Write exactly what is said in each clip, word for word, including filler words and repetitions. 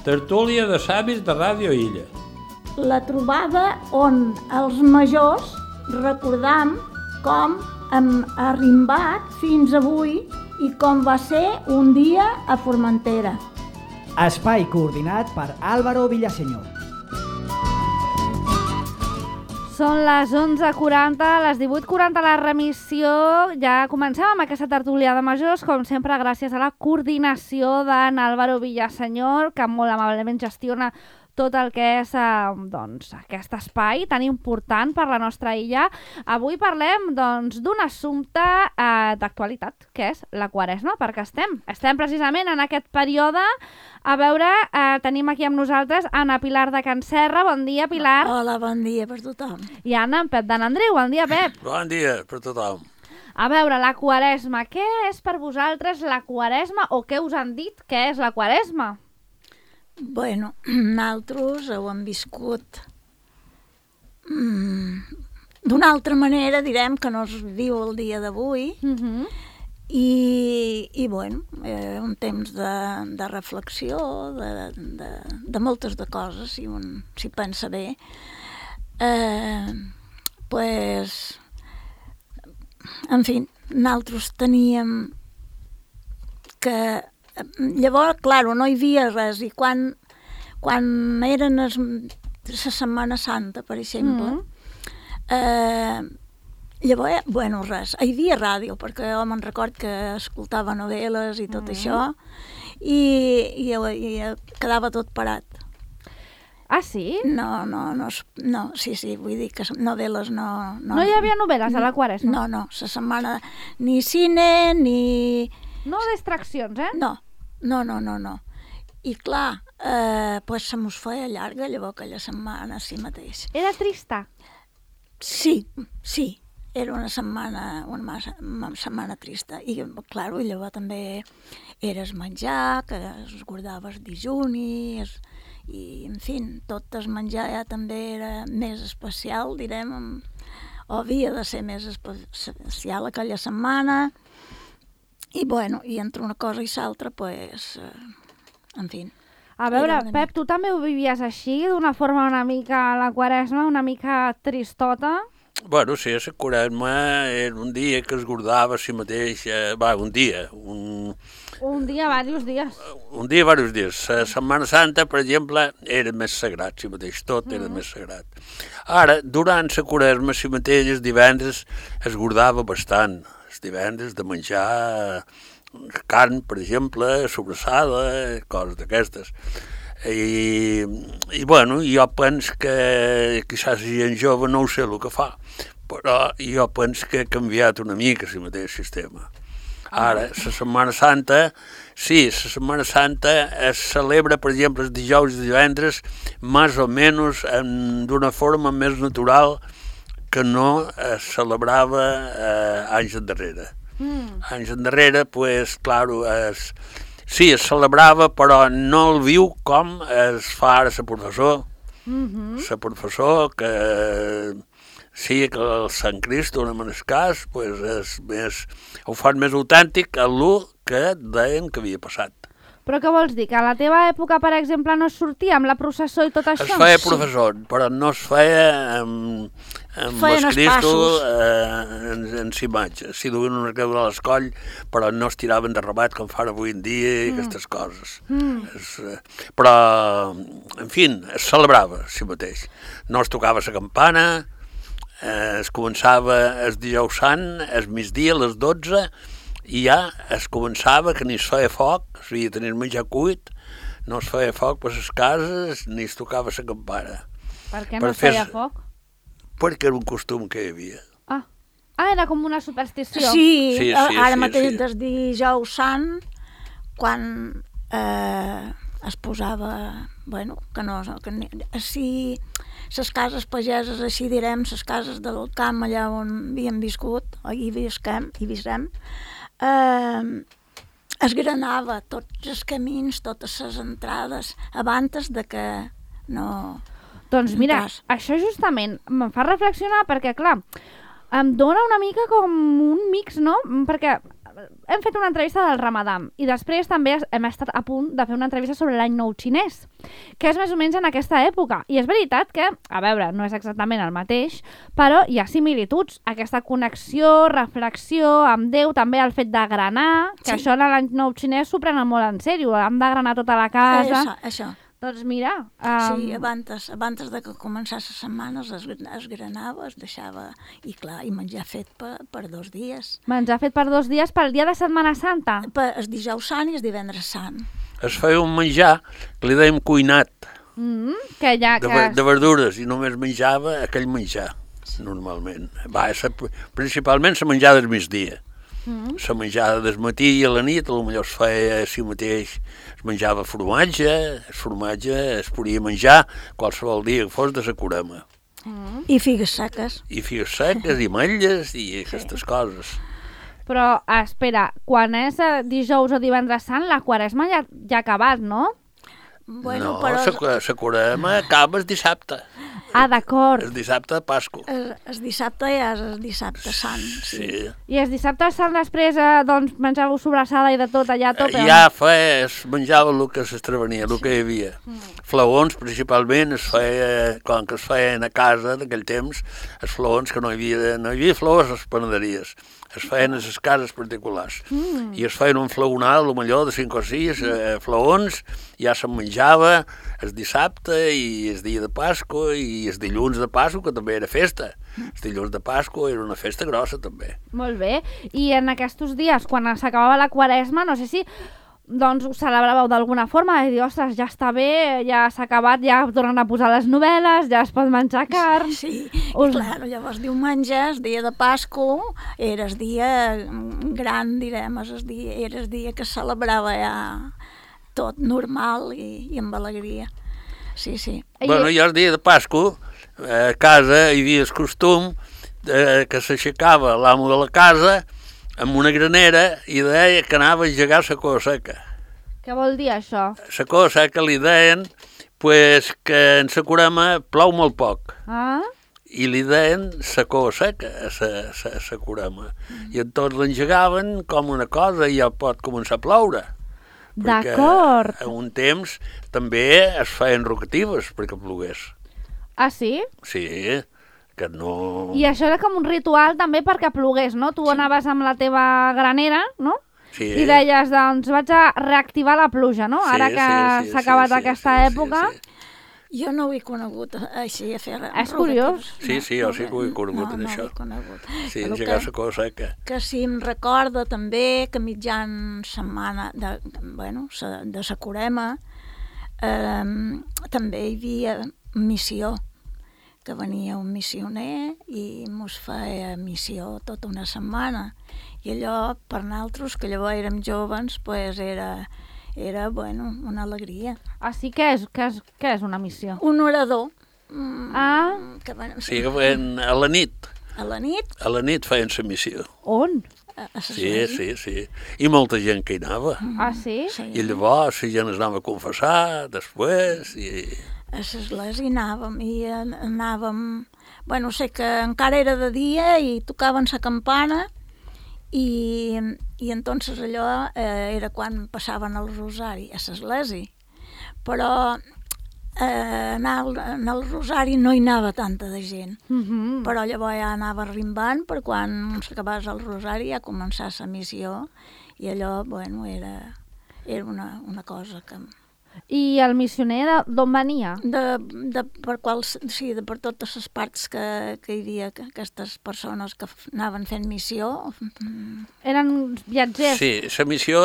tertúlia de savis de Ràdio Illa. La trobada on els majors recordam com hem arrimbat fins avui i com va ser un dia a Formentera. Espai coordinat per Álvaro Villaseñor. Són les onze quaranta, les divuit quaranta la remissió. Ja comencem amb aquesta tertúlia de majors, com sempre gràcies a la coordinació d'en Álvaro Villaseñor, que molt amablement gestiona tot el que és eh, doncs, aquest espai tan important per la nostra illa. Avui parlem doncs, d'un assumpte eh, d'actualitat, que és la Quaresma, perquè estem. Estem precisament en aquest període. A veure, eh, tenim aquí amb nosaltres Anna Pilar de Can Serra. Bon dia, Pilar. Hola, bon dia per tothom. I Anna, en Pep d'en Andreu. Bon dia, Pep. Bon dia per tothom. A veure, la Quaresma. Què és per vosaltres la Quaresma o què us han dit que és la Quaresma? Bueno, nosaltres ho hem viscut mm, d'una altra manera, direm, que no es viu el dia d'avui. Uh-huh. I, i bueno, eh, un temps de, de reflexió, de, de, de moltes de coses, si un si pensa bé. Eh, pues, en fi, nosaltres teníem que... Llavors, clar, no hi havia res, i quan, quan eren es, la Setmana Santa, per exemple, mm. eh, llavors, bueno, res, hi havia ràdio, perquè jo me'n record que escoltava novel·les i tot mm. això, i, i, i quedava tot parat. Ah, sí? No, no, no, no, sí, sí, vull dir que novel·les no... No, no hi havia novel·les a la Quaresma? No, no, la setmana, ni cine, ni... No distraccions, eh? No, no, no, no, no. I clar, eh, pues se mos feia llarga llavors aquella setmana, sí mateix. Era trista? Sí, sí, era una setmana, una, massa, una setmana trista. I, clar, llavors també eres menjar, que es guardaves dijuni, es, i, en fi, tot el menjar ja també era més especial, direm, o havia de ser més especial aquella setmana. I, bueno, i entre una cosa i l'altra, pues, eh, en fi. A veure, Pep, tu també ho vivies així, d'una forma una mica a la Quaresma, una mica tristota? Bueno, sí, la Quaresma era un dia que es guardava a si mateix, eh, va, un dia, un... Un dia, diversos dies. Un dia, diversos dies. La Setmana Santa, per exemple, era més sagrat, si mateix, tot era mm. més sagrat. Ara, durant la Quaresma, si mateix, els divendres es guardava bastant. Els divendres de menjar carn, per exemple, sobrassada, coses d'aquestes. I, i, bueno, jo penso que quizás la gent jove no ho sé el que fa, però jo penso que ha canviat una mica el mateix sistema. Ara, la Setmana Santa, sí, la Setmana Santa es celebra, per exemple, els dijous i divendres, més o menys d'una forma més natural que no es celebrava eh, anys endarrere. Mm. Anys endarrere, pues, claro, es, sí, es celebrava, però no el viu com es fa ara la professor. Mm-hmm. La professor, que sí, que el Sant Cristo, en el cas, pues, és més, ho fan més autèntic a l'u que deien que havia passat. Però què vols dir? Que a la teva època, per exemple, no es sortia amb la processó i tot això? Es feia professor, sí. Però no es feia amb, amb el Cristo eh, en, en si imatge. Si duien una creu de l'escoll, però no es tiraven de rabat com fan avui en dia i mm. aquestes coses. Mm. Es, eh, però, en fi, es celebrava, si mateix. No es tocava la campana, eh, es començava el dijous sant, el migdia, a les dotze, i ja es començava que ni es feia foc, havia de tenir menjar cuit, no es feia foc per les cases, ni es tocava la campana. Per què no per es feia fer... foc? Perquè era un costum que hi havia. Ah, ah era com una superstició. Sí, sí, sí ara sí, mateix sí. des dijous sant, quan eh, es posava, bueno, que no, que si les cases pageses, així direm, les cases del camp allà on havíem viscut, o hi visquem, hi visquem, Eh, es granava tots els camins, totes les entrades, abans de que no... Doncs mira, no això justament em fa reflexionar perquè, clar, em dona una mica com un mix, no? Perquè hem fet una entrevista del Ramadam i després també hem estat a punt de fer una entrevista sobre l'any nou xinès, que és més o menys en aquesta època. I és veritat que, a veure, no és exactament el mateix, però hi ha similituds. Aquesta connexió, reflexió amb Déu, també el fet de granar, que sí. Això en l'any nou xinès s'ho prenen molt en sèrio, hem de granar tota la casa. Això, això. Doncs mira... Um... Sí, abans, abans de que començés la setmana es, es granava, es deixava, i clar, i menjar fet per, per dos dies. Menjar fet per dos dies pel dia de Setmana Santa? Per el dijous sant i el divendres sant. Es feia un menjar que li dèiem cuinat, mm, que ja, de, que... de verdures, i només menjava aquell menjar, normalment. Va, sa, principalment la menjada del migdia. Mm. La menjada del matí i a la nit, potser es feia així mateix, es menjava formatge, el formatge es podia menjar qualsevol dia que fos de la curema. Mm. I figues seques. I figues seques, i ametlles, i aquestes sí. coses. Però, espera, quan és dijous o divendres sant, la quaresma ja, ja ha acabat, no? Bueno, no, però... la curema acaba el dissabte. Ah, d'acord. El dissabte de Pasqua. El, el dissabte ja és el dissabte sant. Sí. sí. I el dissabte sant després, eh, doncs, menjàveu sobrassada i de tot allà a tope? Ja feia, es menjava el que s'estrevenia, el que hi havia. Mm. Flaons, principalment, es feia, com que es feien a casa d'aquell temps, els flaons, que no hi havia, no hi havia flaons a les panaderies. Es feien a les cases particulars. Mm. I es feien un flaonal, potser de cinc o sis eh, flaons, ja se'n menjava el dissabte i el dia de Pasqua i el dilluns de Pasqua, que també era festa. El dilluns de Pasqua era una festa grossa, també. Molt bé. I en aquests dies, quan s'acabava la quaresma, no sé si doncs ho celebràveu d'alguna forma, de dir, ostres, ja està bé, ja s'ha acabat, ja tornen a posar les novel·les, ja es pot menjar carn... Sí, Us... i clar, llavors diumenge, el dia de Pasqua, era el dia gran, direm, el dia, era el dia que es celebrava ja tot normal i, i amb alegria. Sí, sí. Bueno, i el dia de Pasqua, a casa hi havia el costum eh, que s'aixecava l'amo de la casa amb una granera i deia que anava a engegar la coa seca. Què vol dir això? La coa seca li deien pues, que en la curema plou molt poc. Ah? I li deien la coa seca a la curema. Mm. I tots l'engegaven com una cosa i ja pot començar a ploure. D'acord. Perquè a un temps també es feien rocatives perquè plogués. Ah, sí? Sí, que no... I això era com un ritual també perquè plogués, no? Tu sí. Anaves amb la teva granera, no? Sí. I deies, doncs vaig a reactivar la pluja, no? Sí, Ara que sí, sí, s'ha acabat sí, aquesta sí, època... Sí, sí. Jo no ho he conegut així a fer... És curiós. Sí, sí, jo sí que ho he conegut, no, això. No, no ho he conegut. Sí, engegar la coa seca. Que sí, em recorda també que mitjan setmana de, bueno, de la curema eh, també hi havia missió, que venia un missioner i mos feia missió tota una setmana. I allò, per nosaltres, que llavors érem joves, pues era, era bueno, una alegria. Ah, sí? Què és, què és, què és una missió? Un orador. Ah. Que, bueno, sí, que feien a la nit. A la nit? A la nit feien la missió. On? A, a sí, sí, sí. I molta gent que hi anava. Ah, sí? sí. I llavors la gent es anava a confessar després i... A l'església anàvem i anàvem... Bueno, sé que encara era de dia i tocaven la campana i, i entonces allò eh, era quan passaven el rosari a l'església. Però eh, anar al, en el rosari no hi anava tanta de gent. Mm-hmm. Però llavors ja anava rimbant per quan s'acabés el rosari ja començar la missió i allò, bueno, era, era una, una cosa que... I el missioner d'on venia? De, de, per quals, sí, de per totes les parts que, que hi havia aquestes persones que anaven fent missió. Eren viatgers? Sí, la missió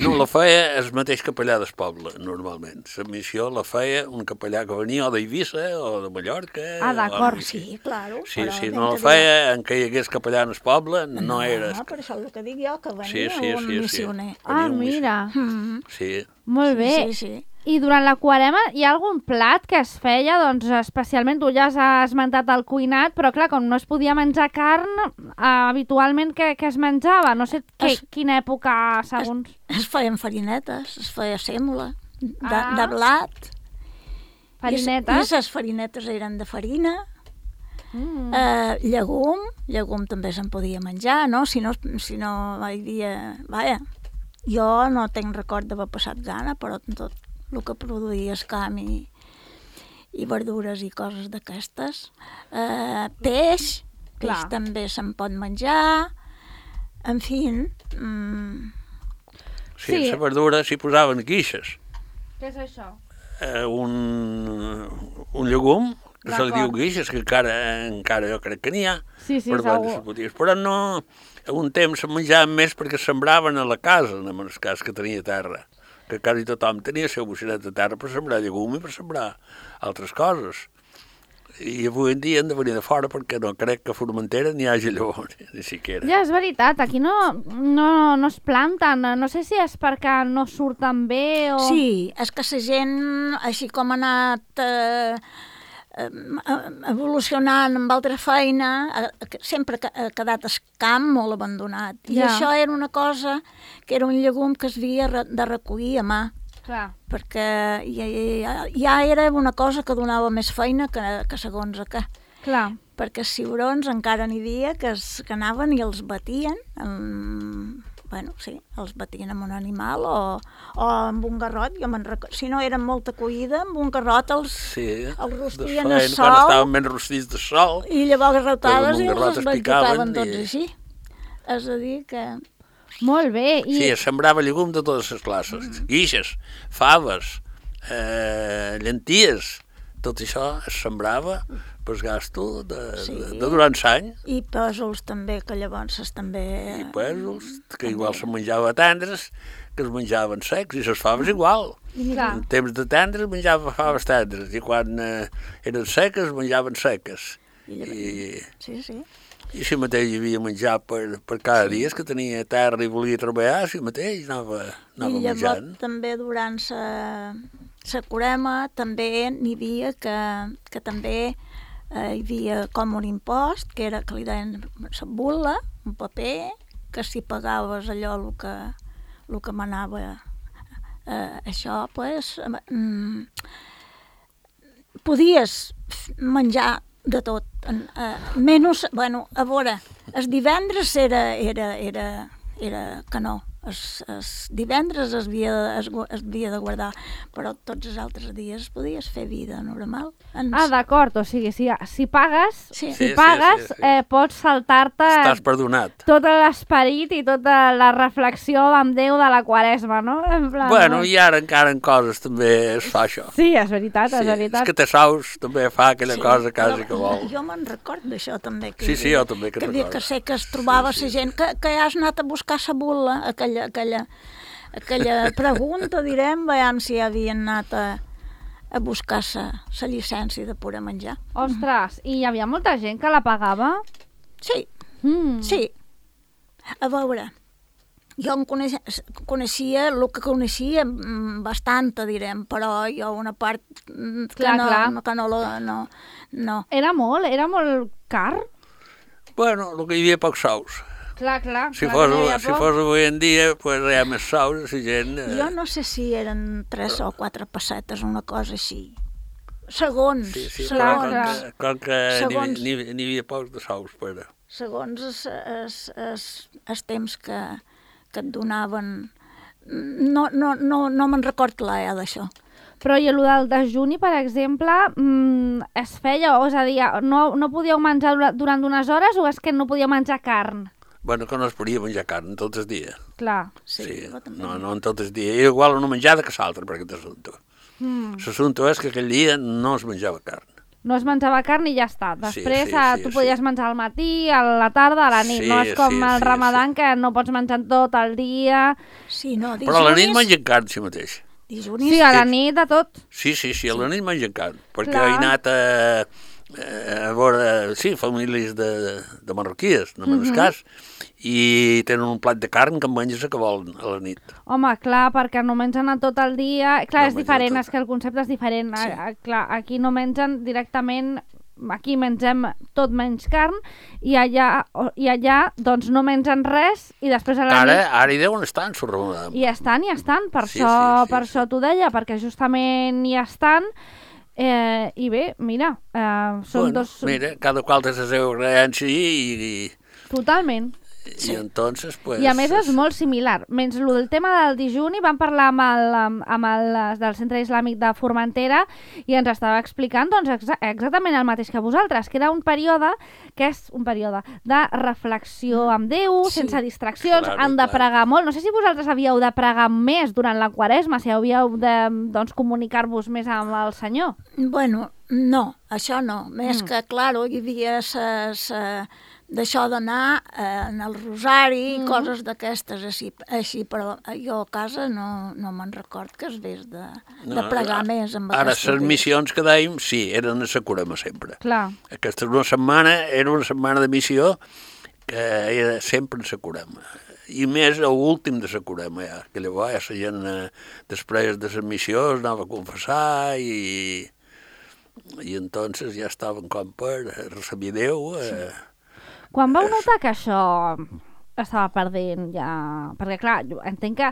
no la feia el mateix capellà del poble, normalment. La missió la feia un capellà que venia o d'Eivissa o de Mallorca. Ah, d'acord. Sí, claro. Sí, sí, no la feia en què hi hagués capellà en el poble, no, no era... No, per això el que dic jo, que venia sí, sí, un sí, missioner. Sí. Ah, mira. Mm-hmm. Sí. Molt bé. Sí, sí, sí. I durant la quarema hi ha algun plat que es feia, doncs especialment, tu ja has esmentat el cuinat, però clar, com no es podia menjar carn, eh, habitualment què, què es menjava? No sé que, es, quina època, segons... Es, es feien farinetes, es feia sèmola, de, ah. de blat. Farinetes? I les farinetes eren de farina, Mm. Eh, llegum, llegum també se'n podia menjar, no? Si no, si no hi havia... Vaja, jo no tenc record d'haver passat gana, però tot el que produïa escam i, i verdures i coses d'aquestes. Eh, peix, peix Clar. també se'n pot menjar. En fi... Mm, Sí, Sí. la verdura s'hi posaven guixes. Què és això? Eh, un, un llegum, que se li diu D'acord. guixes, que encara, encara jo crec que n'hi ha. Sí, sí, per vendre segur. les botigues. Però no, a un temps se menjaven més perquè sembraven a la casa, en el cas que tenia terra. Que quasi tothom tenia el seu bocinat de terra per sembrar llegum i per sembrar altres coses. I avui en dia hem de venir de fora perquè no crec que a Formentera n'hi hagi llavors, ni siquiera. Ja, és veritat, aquí no, no, no es planten. No sé si és perquè no surten bé o... Sí, és que la gent, així com ha anat eh, eh, evolucionant amb altra feina, eh, sempre ha quedat el camp molt abandonat. I Ja. això era una cosa que era un llegum que es havia re- de recollir a mà, Clar. perquè ja, ja, ja era una cosa que donava més feina que, que segons a què. Clar. Perquè els ciurons encara n'hi havia que, es, que anaven i els batien, amb, bueno, sí, els batien amb un animal o, o amb un garrot. Jo me'n recordo, si no eren molta collida, amb un garrot els, Sí, els rostien desfeien, al quan sol estaven ben rostits de sol. i llavors rotades amb un i garrot els es esbanjocaven picaven tots i- així. És a dir que... Molt bé. I... Sí, es sembrava llegum de totes les classes. Guixes, faves, eh, llenties, tot això es sembrava per gasto de, Sí. de, de durant l'any. I pèsols també, que llavors es també... I pèsols, que igual se menjava tendres, que es menjaven secs, i les faves igual. Clar. En temps de tendres menjava faves tendres, i quan eh, eren seques menjaven seques. I llavors- I, Sí, sí. i si mateix hi havia menjar per, per cada dia, és que tenia terra i volia treballar, si mateix anava, anava I llavors menjant. també durant la la curema també n'hi havia que, que també eh, hi havia com un impost, que era que li deien la bula, un paper, que si pagaves allò el que, el que manava eh, això, pues, mm, podies menjar de tot, en, eh, menys, bueno, a veure, els divendres era, era, era, era que no, els, els divendres es havia, de, es, gu- es havia de guardar, però tots els altres dies podies fer vida normal. Ens... Ah, d'acord, o sigui, si, si pagues, Sí. si Sí, sí, pagues, sí, sí. Eh, pots saltar-te Estàs perdonat. tot l'esperit i tota la reflexió amb Déu de la Quaresma, no? En plan, Bueno, no? i ara encara en coses també es fa això. Sí, és veritat, és Sí, veritat. és que Tesaus també fa aquella cosa quasi però que vol. Jo me'n record d'això també. Que Sí, hi sí, havia- jo també que que, havia- recordo. que sé que es trobava Sí, la sí, gent que, que has anat a buscar la bula, aquella, aquella, aquella pregunta, direm, veiem si havien anat a, a buscar la llicència de poder menjar. Ostres, i hi havia molta gent que la pagava? Sí, Mm. sí. A veure, jo em coneixia, coneixia el que coneixia mm, bastanta, direm, però jo una part mm, que, Clar, no, clar. que no, lo- no, no. Era molt, era molt car? Bueno, el que hi havia pocs sous. Clar, clar. Si clar fos, que hi havia si poc. fos avui en dia, pues, hi ha més sous, la gent... Eh, Jo no sé si eren tres o quatre pessetes, una cosa així. Segons, Sí, sí, segons, però clar. com que, com que Segons- n'hi n'hi- n'hi havia pocs de sous, però... segons els, els, els, els temps que, que et donaven. No, no, no, no me'n record clar eh, d'això. Però i el del desjuni, per exemple, mm, es feia, o és a dir, no, no podíeu menjar dura- durant unes hores o és que no podíeu menjar carn? Bueno, que no es podia menjar carn tot el dia. Clar. Sí, Sí, jo també. no, no en tot el dia. Era igual una menjada que l'altra, per aquest assumpte. Mm. L'assumpte és que aquell dia no es menjava carn. No es menjava carn i ja està. Després sí, eh, sí, tu sí. podies menjar al matí, a la tarda, a la nit. Sí, no és com sí, el sí, ramadan que no pots menjar tot el dia. Sí, no, dijunis... Però a la nit mengen carn, si mateix. Dijunis... Sí, a la nit de tot. Sí, sí, sí, a la nit mengen carn. Perquè Clar. he anat a, a veure, sí, famílies de, de marroquies, no me'n Mhm. cas, i tenen un plat de carn que en menges a que volen a la nit. Home, clar, perquè no mengen a tot el dia. Clar, No és mengen diferent, tot. és que el concepte és diferent. Sí. A, a, clar, aquí no mengen directament, aquí mengem tot menys carn, i allà, o- i allà doncs no mengen res, i després a la Ara, nit... ara hi deuen estar en Sorramadam. I estan, i estan, per Sí, això, sí, sí, per sí. això t'ho deia, perquè justament hi estan, Eh, I bé, mira, eh, són bueno, dos... Mira, cada qual té la seva creença i... Totalment. Sí. I entonces, pues... I a més és molt similar. Menys el del tema del dijuni, vam parlar amb el, amb el del Centre Islàmic de Formentera i ens estava explicant doncs, exa exactament el mateix que vosaltres, que era un període que és un període de reflexió amb Déu, sí. sense distraccions, claro, han de clar. pregar molt. No sé si vosaltres havíeu de pregar més durant la Quaresma, si havíeu de doncs, comunicar-vos més amb el Senyor. Bueno, no, això no. Més mm. que, claro, hi havia ses... Uh, d'això d'anar eh, en el rosari, mm. coses d'aquestes així, així, però jo a casa no, no me'n record que es ves de, no, de pregar ara, més amb ara, les missions que dèiem, sí, eren a la Curema sempre. Clar. Aquesta una setmana, era una setmana de missió que era sempre a la Curema. I més a l'últim de la Curema, ja, que llavors ja la gent, eh, després de les missions, anava a confessar i, i entonces ja estaven com per recibir Déu. Eh, sí. Quan vau notar que això estava perdent ja... Perquè, clar, jo entenc que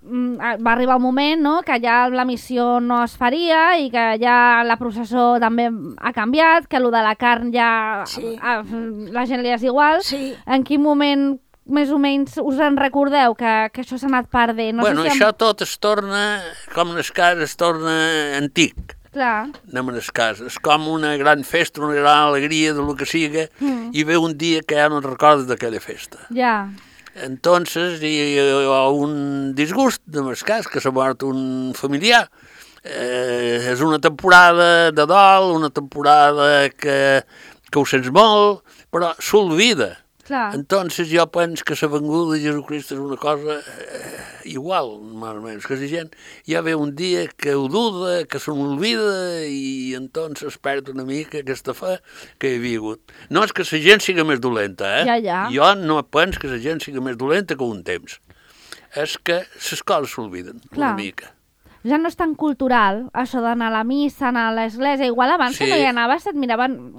mm, va arribar un moment, no?, que ja la missió no es faria i que ja la processó també ha canviat, que allò de la carn ja... Sí. A, la gent li és igual. Sí. En quin moment, més o menys, us en recordeu que, que això s'ha anat perdent? No bueno, sé si això amb... tot es torna, com en el cas, es torna antic. Clar. Anem a les cases. És com una gran festa, una gran alegria de lo que siga, mm. i ve un dia que ja no recordes d'aquella festa. Ja. Entonces, hi ha un disgust, en el cas, que s'ha mort un familiar. Eh, és una temporada de dol, una temporada que, que ho sents molt, però s'olvida. Clar. Entonces jo penso que la venguda de Jesucrist és una cosa eh, igual, més o menys, que la gent ja ve un dia que ho duda, que se n'olvida i entonces perd una mica aquesta fe que hi havia hagut. No és que la gent siga més dolenta, eh? Ja, ja. Jo no penso que la gent siga més dolenta que un temps. És que les coses s'olviden una mica. Ja no és tan cultural, això d'anar a la missa, anar a l'església. Igual abans sí. que no hi anaves et miraven...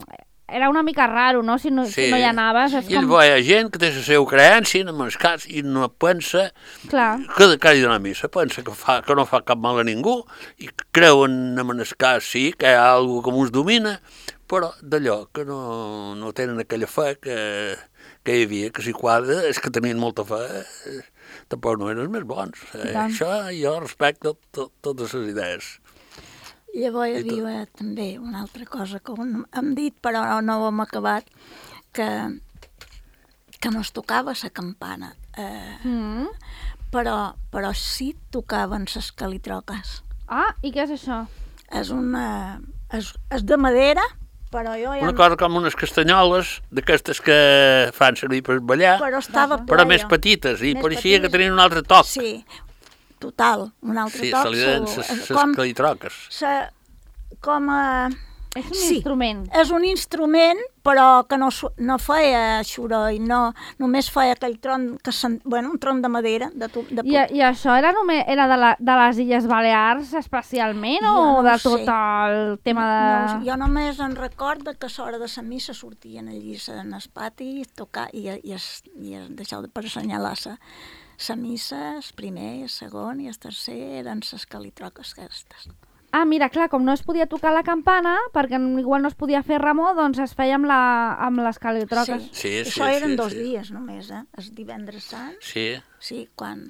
Era una mica raro, no?, si no, sí. si no hi anaves. És I com... hi ha gent que té la seva creença, en el cas, i no pensa Clar. que, que ha d'anar a missa, pensa que, fa, que no fa cap mal a ningú, i creuen en el cas, sí, que hi ha alguna que ens domina, però d'allò que no, no tenen aquella fe que, que hi havia, que si quadra, és que tenien molta fe, eh, tampoc no eren els més bons. Eh? Això jo respecto to, totes les idees. Llavors hi havia també una altra cosa que hem dit, però no ho hem acabat, que, que no es tocava la campana. Eh, mm. però, però sí tocaven les calitroques. Ah, i què és això? És una... És, és de madera, però jo ja... Una cosa com unes castanyoles, d'aquestes que fan servir per ballar, però, estava però més petites, i pareixia que tenien un altre toc. Sí. Total, un altre sí, toc. Sí, se li deien les calitroques. Se, com a... És un sí, instrument. És un instrument, però que no, no feia soroll, no, només feia aquell tron, que sen, bueno, un tron de madera. De, de... I, I això era, només, era de, la, de les Illes Balears especialment jo o no de tot sé. El tema de... No, jo només en recordo que a l'hora de la missa sortien allí en el pati i, tocar, i, i, es, i es, deixeu per assenyalar la la missa, el primer, el segon i el tercer eren les calitroques aquestes. Ah, mira, clar, com no es podia tocar la campana, perquè igual no es podia fer remor, doncs es feia amb, la, amb les calitroques. Sí, sí, sí, això eren sí, dos sí. dies només, eh? El divendres sant. Sí. Sí, quan...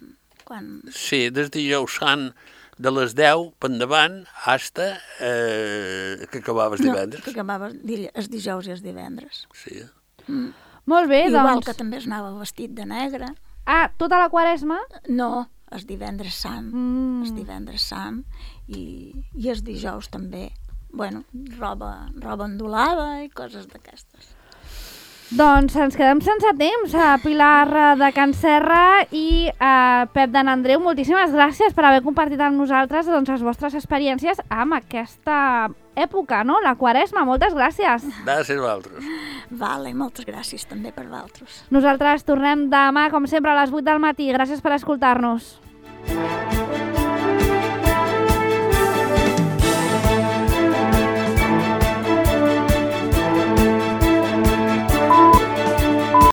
quan... Sí, des de dijous sant de les deu per endavant hasta eh, que acabaves divendres. No, que acabaves el dijous i els divendres. Sí. Mm. Molt bé, Igual doncs... Igual que també es anava vestit de negre. Ah, tota la Quaresma? No, el divendres sant, mm. el divendres sant i, i els dijous també. Bueno, roba, roba endolada i coses d'aquestes. Doncs ens quedem sense temps. A Pilar de Can Serra i a Pep de Nandreu, moltíssimes gràcies per haver compartit amb nosaltres doncs, les vostres experiències amb aquesta època, no? La Quaresma. Moltes gràcies. Gràcies a vosaltres. Vale, moltes gràcies també per vosaltres. Nosaltres tornem demà, com sempre, a les vuit del matí. Gràcies per escoltar-nos.